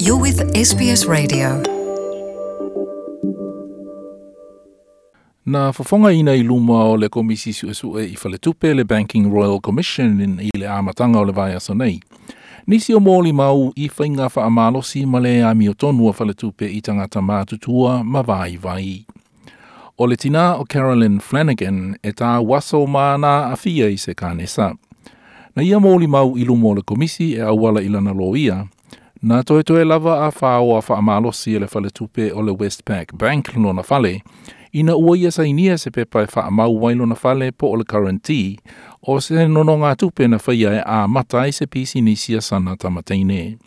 You're with SBS Radio. Na fofogaina i luma o le Komisi Suesue i Faletupe le Banking Royal Commission i le amataga o le vaiaso nei. Nisi o molimau i faiga faamalosi ma le amiotonu a Faletupe i tagata matutua ma vaivai. O le tinā o Carolyn Flanagan e tauaso ma na aafia i se kanesa. Na ia molimau i luma o le Komisi e auala i lana loia, na toetoe lava a faoa faamalosi e le Faletupe o le Westpac Bank lona fale, ina ua ia sainia se pepa e faamau ai lona fale po o le guarantee o se nonogatupe na faia e amata ai se pisinisi a sana tamateine.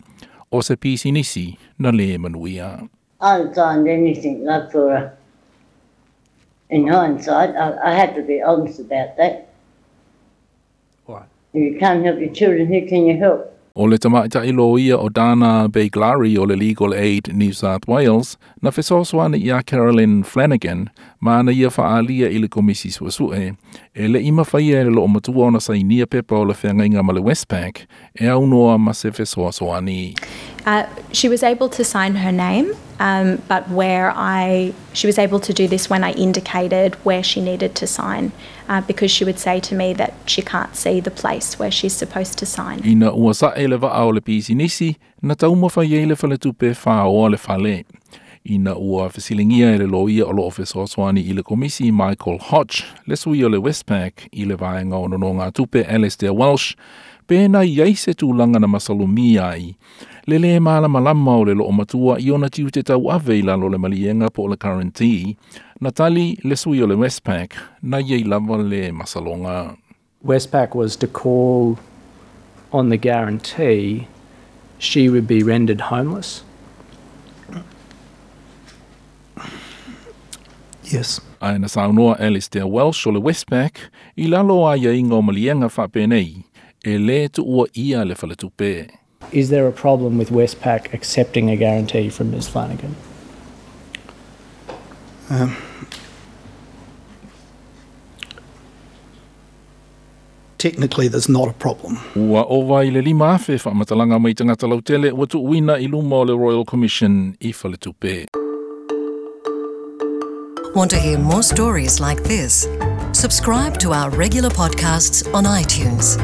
O se pisinisi na le manuia. I haven't signed anything, not for in hindsight, I had to be honest about that. Right. If you can't help your children, who can you help? O le tamaitai loia o Dana Beglari o le Legal Aid New South Wales na fesoasoani iā Carolyn Flanagan ma na ia faaalia i le Komisi Suesue e le'i mafaia e le loomatua ona sainia pepa o le feagaiga ma le Westpac e aunoa ma se fesoasoani. She was able to sign her name, but where I she was able to do this when I indicated where she needed to sign, because she would say to me that she can't see the place where she's supposed to sign. Ina ua sae le vaa o le pisinisi, na taumafai ai le faletupe e faoa le fale. Ina ua fesiligia e le loia o loo fesoasoani i le Komisi Michael Hodge, le sui o le Westpac i le vaega o nonogatupe Alistair Welsh, pe na i ai se tulaga na masalomia ai, le lē malamalama o le loomatua i ona tiute tauave i lalo o le maliega po o le guarantee, na tali le sui o le Westpac na iai lava le masaloga. Westpac was to call on the guarantee, she would be rendered homeless. Yes. Ae na saunoa Alistair Welsh o le Westpac i lalo o aiaiga o maliega faapenei, e lē tuuaia le faletupe. Is there a problem with Westpac accepting a guarantee from Ms Flanagan? Technically, there's not a problem. Ua ova i le 5,000 faamatalaga mai tagata lautele ua tuuina i luma o le Royal Commission i Faletupe. Want to hear more stories like this? Subscribe to our regular podcasts on iTunes.